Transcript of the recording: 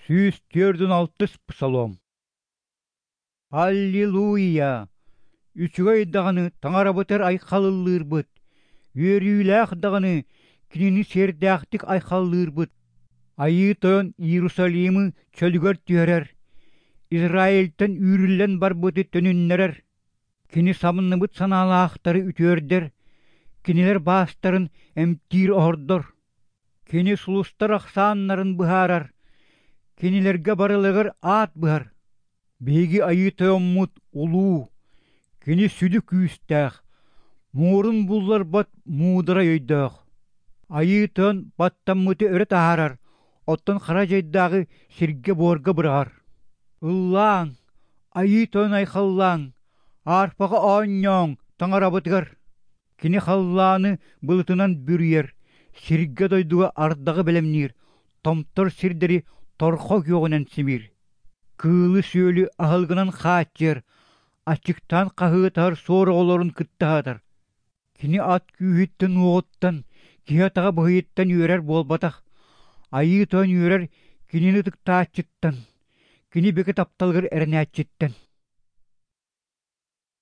146 псалом. Аллилуйя! Үчүгэй даҕаны Таҥарабытыгар айхаллыырбыт, үөрүүлээх даҕаны Кинини сиэрдээхтик айхаллыырбыт. Айыы Тойон Иерусалимы чөлүгэр түһэрэр, Израильтан үүрүллэн барбыты төнүннэрэр. Кини самныбыт санаалаахтары үтүөрдэр, кинилэр баастарын эмтиир-оһордор. Кини сулустар ахсааннарын быһаарар, кинилэргэ барыларыгар аат быһар. Биһиги Айыы Тойоммут улуу, кини сүдү күүстээх, муорун булларбат муударай өйдөөх. Айыы Тойон баттаммыты өрө таһаарар, оттон хара дьайдааҕы сиргэ-буорга быраҕар. Ыллааҥ, Айыы Тойон айхаллааҥ, арфаҕа оонньооҥ Таҥарабытыгар. Кини халлааны былытынан бүрүйэр, сиргэ-дойдуга ардаҕы бэлэмниир, томтор сирдэри торхо күөҕүнэн симиир. Кыылы-сүөлү аһылыгынан хааччыйар, аччыктаан хаһыытаһар суор оҕолорун кытта аһатар. Кини ат күүһүттэн-уоҕуттан, киһи атаҕа быһыйыттан үөрэр буолбатах, Айыы Тойон үөрэр кинини ытыктааччыттан, кини бигэ тапталыгар эрэнээччиттэн.